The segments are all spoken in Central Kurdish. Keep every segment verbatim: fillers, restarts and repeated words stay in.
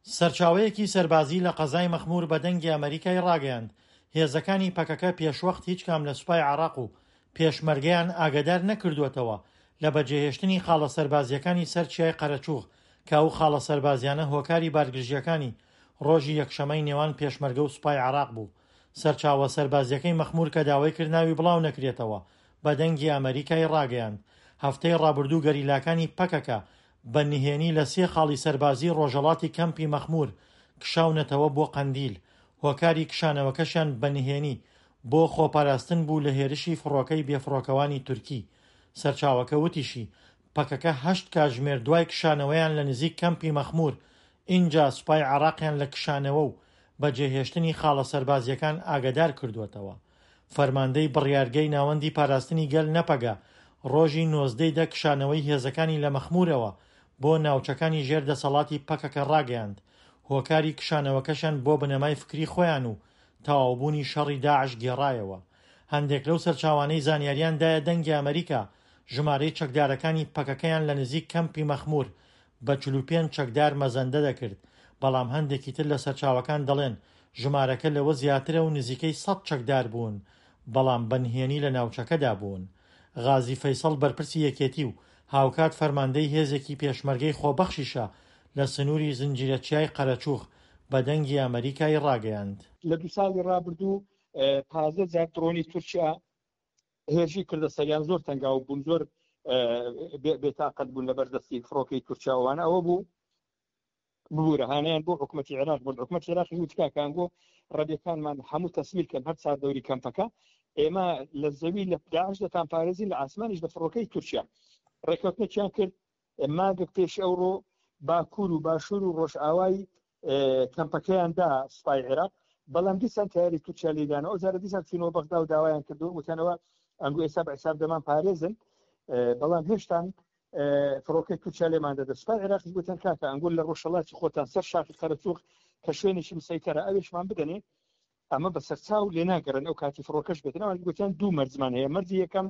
سەرچاوەیەکی سەربازی لە قەزای مەخمور بە دەنگی ئەمەریکای ڕاگەیاند، هێزەکانی پەکەکە پێشوەخت هیچ کام لە سوپای عێراق و پێشمەرگەیان ئاگادار نەکردووەتەوە لە بەجێهێشتنی خاڵە سەربازییەکانی سەر چیای قەرەچوغ کە ئەو خاڵە سەربازیانە هۆکاری بارگرژییەکانی ڕۆژی یەکشەمەی نێوان پێشمەرگە و سوپای عێراق بوو. سەرچاوە سەربازییەکەی مەخمور کە داوای کرد ناوی بڵاو نەکرێتەوە بە دەنگی ئەمەریکای ڕاگەیاند، هەفتەی ڕابردوو گەریلاکانی پەکەکە بە نهێنی لە سێ خاڵی سەربازی ڕۆژهەڵاتی کەمپی مەخمور کشاونەتەوە بۆ قەندیل، هۆکاری کشانەوەکەشیان بە نهێنی بۆ خۆپاراستن بوو لە هێرشی فڕۆکەی بێفڕۆکەوانی تورکی. سەرچاوەکە وتیشی، پەکەکە هەشت کاتژمێر دوای کشانەوەیان لە نزیک کەمپی مەخمور، ئینجا سوپای عێراقیان لە کشانەوە و بەجێهێشتنی خاڵە سەربازییەکان ئاگادار کردووەتەوە. فەرماندەی بڕیارگەی ناوەندی پاراستنی گەل نەپەگە ڕۆژی نۆزدە ی دە کشانەوەی هێزەکانی لە مەخمورەوە بۆ ناوچەکانی ژێر دەسەڵاتی پەکەکە ڕاگەیاند، هۆکاری کشانەوەکەشیان بۆ بنەمای فکری خۆیان و تەواوبوونی شەڕی داعش گێڕایەوە. هەندێک لەو سەرچاوانەی زانیاریان دایە دەنگی ئەمەریکا ژمارەی چەکدارەکانی پەکەکەیان لە نزیک کەمپی مەخمور بە چل و پێنج چەکدار مەزەندە دەکرد، بەڵام هەندێکی تر لە سەرچاوەکان دەڵێن ژمارەکە لەوە زیاترە و نزیکەی سەد چەکدار بوون، بەڵام بە نهێنی لە ناوچەکەدا بوون. غازی فەیسەڵ بەرپرسی یەکێتی و هاوکات فەرماندەی هێزێکی پێشمەرگەی خۆبەخشیشە لە سنووری زنجیرە چیای قەرەچوغ بە دەنگی ئەمەریکای ڕاگەیاند. لە دوو ساڵی ڕابردوو پازدە جار درۆنی تورکیا هێرشی کردە سەریان، زۆر تەنگاو بوون، زۆر بێتاقەت بوون لە بەردەستی فڕۆکەی تورکیاوانە. ئەوە بوو ببوورە هانیان بۆ حکوومەتی عێراق برد. حکوومەتی عێراق وت کاکان گۆ ڕەبیەکانمان هەموو تەسمیل کەن هەر چوار دەوری کەمپەکە، ئێمە لە زەوی لە داعش دەتان پارێزین، لە ئاسمانیش لە فڕۆکەی تورکیا. ڕێککەوتنێکیان کرد مانگێک پێش ئەوڕۆ باکوور و باشوور و ڕۆژئاوای کەمپەکەیاندا سوپای عێراق، بەڵام دیسان تیاری تورکیا لێدانەوە. ئەو جارە دیسان چوونەوە بەغدا و داوایان کردو وتنەوە ئەنگۆ ئێستا بە حساب دەمان پارێزن، بەڵام هێشتان فڕۆکەی تورکیا لێمان دەدە. سوپای عێراقیش گوتیان کاکە ئەنگۆ لە ڕۆژهەڵاتی خۆتان سەر شاخی قەرەچوغ کە شوێنێکی مسەیتەرە ئەوێشمان بدەنێ، ئەمە بە سەرچاو لێ ناگەڕن ئەو کاتی فڕۆکەش بێتن. ئەوان گوتیان دوو مەرجمان هەیە. مەرجی یەکەم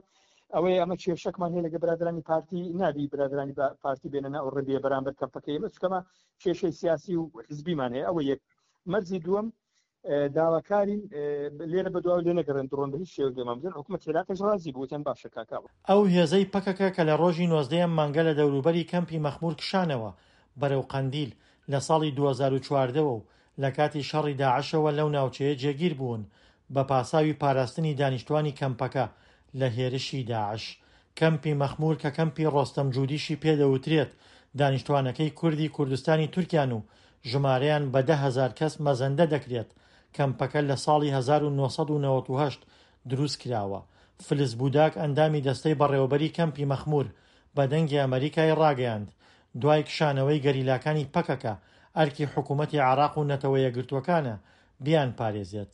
ئەوەیە ئەمە کێشەکمان هەیە لەگە برادرانی پارتی، نابی برادرانی پارتی بێنە ناو ڕێبیە بەرامبەر کەمپەکەی ئێمە، چونکە کێشەی سیاسی و حزبیمان هەیە. ئەوە یەک. مەرجی دووەم داواکارین لێرە بەدواو لێ نەگەڕێن درۆن بە هیچ شێوەیەک لێمان بدەن. حکوومەتی عێراقیش ڕازی بوو، وتیان باشە کاکا. ئەو هێزەی پەکەکە کە لە ڕۆژی نۆزدەیەم مانگە لە دەوروبەری کەمپی مەخمور کشانەوە بەرەو قەندیل لە ساڵی دوو هەزار و چواردە وە و لە کاتی شەڕی داعشەوە لەو ناوچەیە جێگیر بوون بە پاساوی پاراستنی دانیشتوانی کەمپەکە لە هێرشی داعش. کەمپی مەخمور کە کەمپی ڕۆستەم جودیشی پێدەوترێت دانیشتوانەکەی کوردی کوردستانی تورکیان و ژمارەیان بە دە هەزار کەس مەزەندە دەکرێت. کەمپەکە لە ساڵی هەزار و نۆ سەد و نەوەد و هەشت دروست کراوە. فلس بوداک ئەندامی دەستەی بەڕێوەبەری کەمپی مەخمور بە دەنگی ئەمەریکای ڕاگەیاند، دوای کشانەوەی گەریلاکانی پەکەکە ئەرکی حکوومەتی عێراق و نەتەوە یەکگرتووەکانە بیانپارێزێت.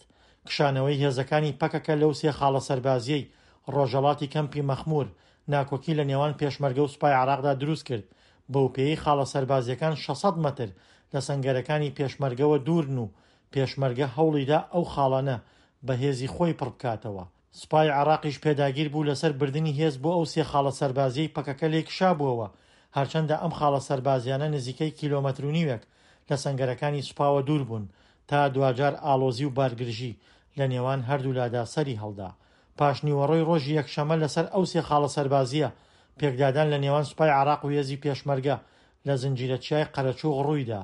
کشانەوەی هێزەکانی پەکەکە لەو سێ خاڵە سەربازیەی ڕۆژهەڵاتی کەمپی مەخمور ناکۆکی لە نێوان پێشمەرگە و سوپای عێراقدا دروست کرد، بەوپێیەی خاڵە سەربازیەکان شەش سەد مەتر لە سەنگەرەکانی پێشمەرگەوە دوورن و پێشمەرگە هەوڵیدا ئەو خاڵانە بە هێزی خۆی پڕ بکاتەوە. سوپای عێراقیش پێداگیر بوو لەسەر بردنی هێز بۆ ئەو سێ خاڵە سەربازیەی پەکەکە لێی کشابووەوە، هەرچەندە ئەم خاڵە سەربازیانە نزیکەی کیلۆمەتر و نیوێک لە سەنگەرەکانی سوپاوە دوور بوون تا دواجار ئاڵۆزی و بارگرژی لە نێوان هەردوولادا سەری هەڵدا. پاشنیوەڕۆی ڕۆژی یەکشەمە لەسەر ئەو سێ خاڵە سەربازیە پێکدادان لە نێوان سوپای عێراق و هێزی پێشمەرگە لە زنجیرە چیای قەرەچوغ ڕوویدا.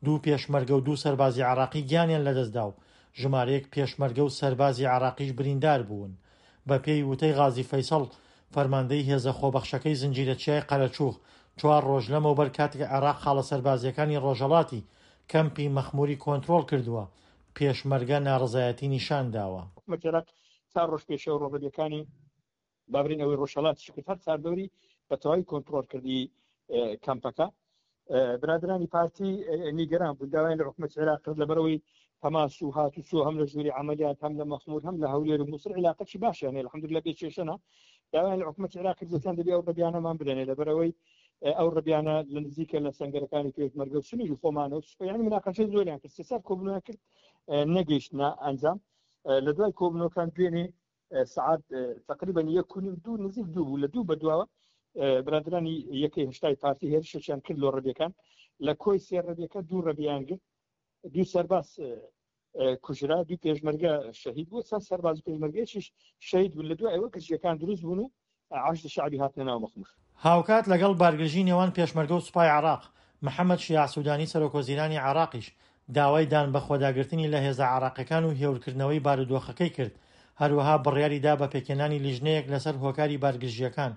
دوو پێشمەرگە و دوو سەربازی عێراقی گیانیان لەدەستدا و ژمارەیەک پێشمەرگە و سەربازی عێراقیش بریندار بوون. بە پێی وتەی غازی فەیسەڵ فەرماندەی هێزە خۆبەخشەکەی زنجیرە چیای قەرەچوغ چوار ڕۆژ لەمەوبەر کاتێک عێراق خاڵە سەربازیەکانی ڕۆژهەڵاتی کەمپی مەخموری کۆنترۆڵ کردووە پێشمەرگە ناڕەزایەتی نیشان داوە. حکوومەتی عێراق چوار ڕۆژ پێشەوە ڕۆبەریەکانی بابرین ئەوەی ڕۆژهەڵاتی کرد هەر چوار دەوری بە تەواوی کۆنترۆڵ کردی کەمپەکە. برادرانی پارتی نیگەران بوون، داوایان لە حکوومەتی عێراق کرد لەبەرەوەی تەماس و هاتوچۆ هەم لە ژووری عەمەلیات هەم لە مەخمور هەم لە هەولێر و موسڵ عیلاقەکی باشیان هەیە، الحەمدللە بێ کێشەنە. داوایان لە حکوومەتی عێراق کرد گوتیان دەبێ ئەو ڕەبیانەمان بدەنێ لەبەرەوەی ئەو ڕەبیانە لە نزیکە لە سەنگەرەکانی پێشمەرگە و سنووری خۆمانە و سوپا، یعنی مناقەشەی زۆریان کرد، سێ چوار کۆبوونەوەیان کرد نەگەیشتنە ئەنجام. لە دوای کۆبوونەوەکان دوێنێ سعات تقریبا یەک و نیو دوو نزیک دوو بوو، لە دوو بەدواوە برادرانی یەکەی هەشتای پارتی هێرشێکیان کرد لۆ ڕەبیەکان. لە کۆی سێ ڕەبیەکە دوو ڕەبیان گرت، دوو سەرباز کوژرا، دوو پێشمەرگە شەهید بوو، چەند سەرباز و پێشمەرگەیەکیش شەهید بوون. لە دوای ئەوە گرژیەکان دروست بوون و حەشدی شەعبی هاتنە ناو مەخمور. هاوکات لەگەڵ بارگرژی نێوان پێشمەرگە و سوپای عێراق، محەمەد شیاع سودانی سەرۆکوەزیرانی عێراقیش داوای دانبەخۆداگرتنی لە هێزە عێراقیەکان و هێورکردنەوەی بارودۆخەکەی کرد، هەروەها بڕیاری دا بە پێکهێنانی لیژنەیەک لەسەر هۆکاری بارگرژییەکان،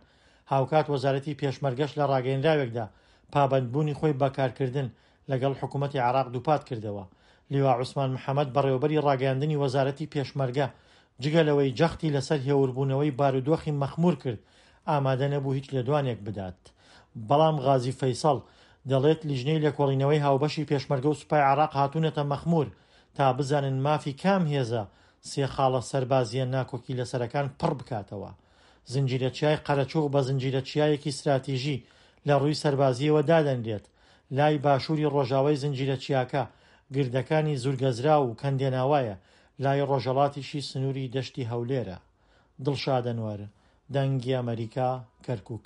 هاوکات وەزارەتی پێشمەرگەش لە ڕاگەیەنراوێکدا پابەندبوونی خۆی بە کارکردن لەگەڵ حکومەتی عێراق دووپاتکردەوە. لیوا عوسمان محەمەد بەڕێوەبەری ڕاگەیاندنی وەزارەتی پێشمەرگە جگە لەوەی جەختی لەسەر هێوربوونەوەی بارودۆخی مەخمور کرد ئامادە نەبوو هیچ لێدوانێک بدات. بەڵام غازی فەیسەڵ دەڵێت لیژنەی لێکۆڵینەوەی هاوبەشی پێشمەرگە و سوپای عێراق هاتوونەتە مەخمور تا بزانن مافی کام هێزە سێ خاڵە سەربازییە ناکۆکی لەسەرەکان پڕ بکاتەوە. زنجیرە چیای قەرەچوغ بە زنجیرە چیایەکی ستراتیژی لە ڕووی سەربازییەوە دادەنرێت. لای باشووری ڕۆژاوای زنجیرە چیاکە گردەکانی زورگەزراو و کەندێناوایە، لای ڕۆژهەڵاتیشی سنووری دەشتی هەولێرە. دڵشاد ئەنوەر، دەنگی ئەمەریکا، کەرکوک.